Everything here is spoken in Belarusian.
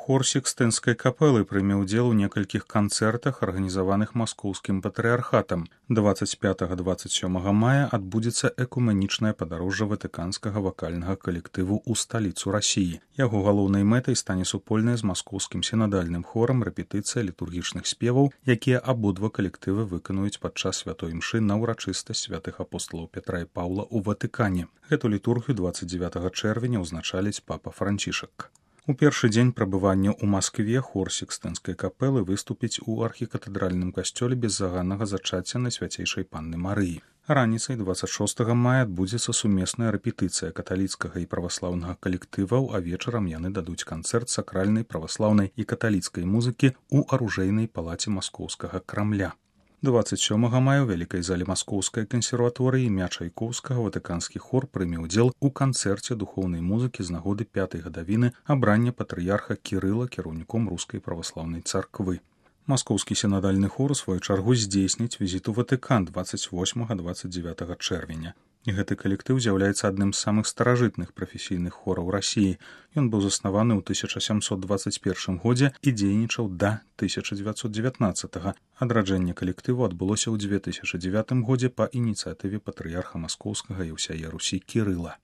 Хор Сікстынскай капэлы прыме ўдзел у некалькіх канцэртах, арганізаваных маскоўскім патрыярхатам. 25-27 мая адбудзецца экумэнічнае падарожжа ватыканскага вакальнага калектыву ў сталіцу Расіі. Яго галоўнай мэтай стане супольная з маскоўскім сінадальным хорам рэпетыцыя літургічных спеваў, якія абодва калектывы выканаюць падчас святой імшы на ўрачыстасць святых апосталаў Пятра і Паўла ў Ватыкане. Гэту літургію 29 чэрвеня ўзначаліць папа Францішак. У першы дзень прабывання ў Маскве хор Сікстынскай капэлы выступіць у архікатэдральным касцёле беззаганнага зачацця Найсвяцейшай Панны Марыі. Раніцай 26 мая адбудзецца сумесная рэпетыцыя каталіцкага і праваслаўнага калектываў, а вечарам яны дадуць канцэрт сакральнай, праваслаўнай і каталіцкай музыкі ў аружэйнай палаце маскоўскага Крамля. 27 мая ў вялікай зале Маскоўскай кансерваторыі імя Чайкоўскага ватыканскі хор прыме ўдзел у канцэрце духоўнай музыкі з нагоды 5-й гадавіны абрання патрыярха Кірыла кіраўніком рускай праваслаўнай царквы. Маскоўскі сінадальны хор у сваю чаргу здзейсніць візіт у Ватыкан 28-29 чэрвеня. І гэты калектыў з'яўляецца адным з самых старажытных прафесійных хораў Расіі. Ён быў заснаваны ў 1721 годзе і дзейнічаў да 1919. Адраджэнне калектыву адбылося ў 2009 годзе па ініцыятыве патрыярха маскоўскага і ўсяе Русі Кірыла.